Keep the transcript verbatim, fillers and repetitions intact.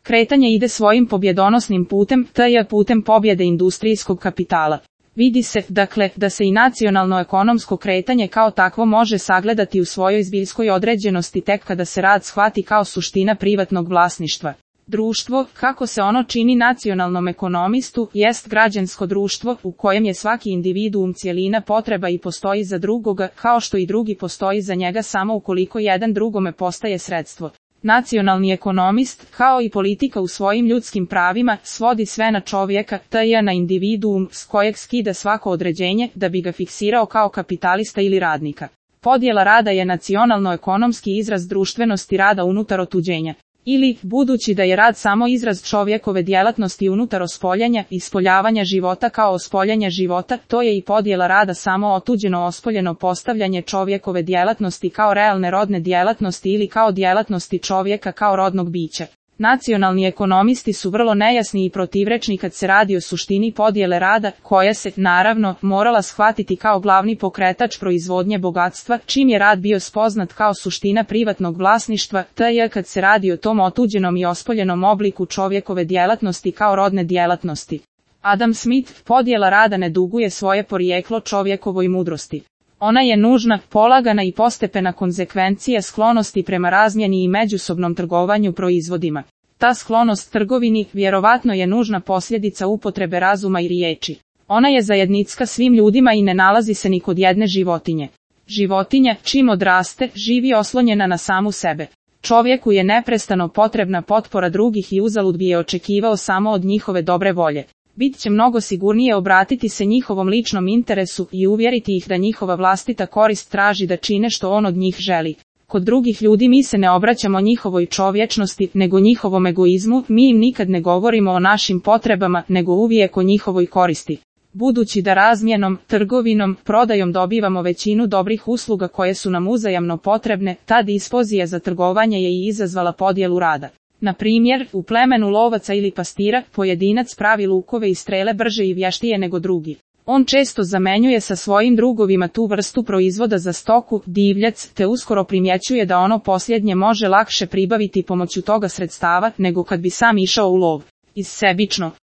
Kretanje ide svojim pobjedonosnim putem, to je putem pobjede industrijskog kapitala. Vidi se, dakle, da se i nacionalno-ekonomsko kretanje kao takvo može sagledati u svojoj zbiljskoj određenosti tek kada se rad shvati kao suština privatnog vlasništva. Društvo, kako se ono čini nacionalnom ekonomistu, jest građansko društvo u kojem je svaki individuum cjelina potreba i postoji za drugoga, kao što i drugi postoji za njega samo ukoliko jedan drugome postaje sredstvo. Nacionalni ekonomist, kao i politika u svojim ljudskim pravima, svodi sve na čovjeka, to je na individuum s kojeg skida svako određenje da bi ga fiksirao kao kapitalista ili radnika. Podjela rada je nacionalno-ekonomski izraz društvenosti rada unutar otuđenja. Ili, budući da je rad samo izraz čovjekove djelatnosti unutar ospoljanja, ispoljavanja života kao ospoljanja života, to je i podjela rada samo otuđeno ospoljeno postavljanje čovjekove djelatnosti kao realne rodne djelatnosti ili kao djelatnosti čovjeka kao rodnog bića. Nacionalni ekonomisti su vrlo nejasni i protivrečni kad se radi o suštini podjele rada, koja se, naravno, morala shvatiti kao glavni pokretač proizvodnje bogatstva, čim je rad bio spoznat kao suština privatnog vlasništva, to je kad se radi o tom otuđenom i ospoljenom obliku čovjekove djelatnosti kao rodne djelatnosti. Adam Smith, podjela rada ne duguje svoje porijeklo čovjekovoj mudrosti. Ona je nužna, polagana i postepena konzekvencija sklonosti prema razmjeni i međusobnom trgovanju proizvodima. Ta sklonost trgovini vjerovatno je nužna posljedica upotrebe razuma i riječi. Ona je zajednicka svim ljudima i ne nalazi se ni kod jedne životinje. Životinja, čim odraste, živi oslonjena na samu sebe. Čovjeku je neprestano potrebna potpora drugih i uzalud bi je očekivao samo od njihove dobre volje. Bit će mnogo sigurnije obratiti se njihovom ličnom interesu i uvjeriti ih da njihova vlastita korist traži da čine što on od njih želi. Kod drugih ljudi mi se ne obraćamo njihovoj čovječnosti, nego njihovom egoizmu, mi im nikad ne govorimo o našim potrebama, nego uvijek o njihovoj koristi. Budući da razmjenom, trgovinom, prodajom dobivamo većinu dobrih usluga koje su nam uzajamno potrebne, ta dispozija za trgovanje je i izazvala podjelu rada. Na primjer, u plemenu lovaca ili pastira, pojedinac pravi lukove i strele brže i vještije nego drugi. On često zamenjuje sa svojim drugovima tu vrstu proizvoda za stoku, divljac, te uskoro primjećuje da ono posljednje može lakše pribaviti pomoću toga sredstava, nego kad bi sam išao u lov. Iz sebično,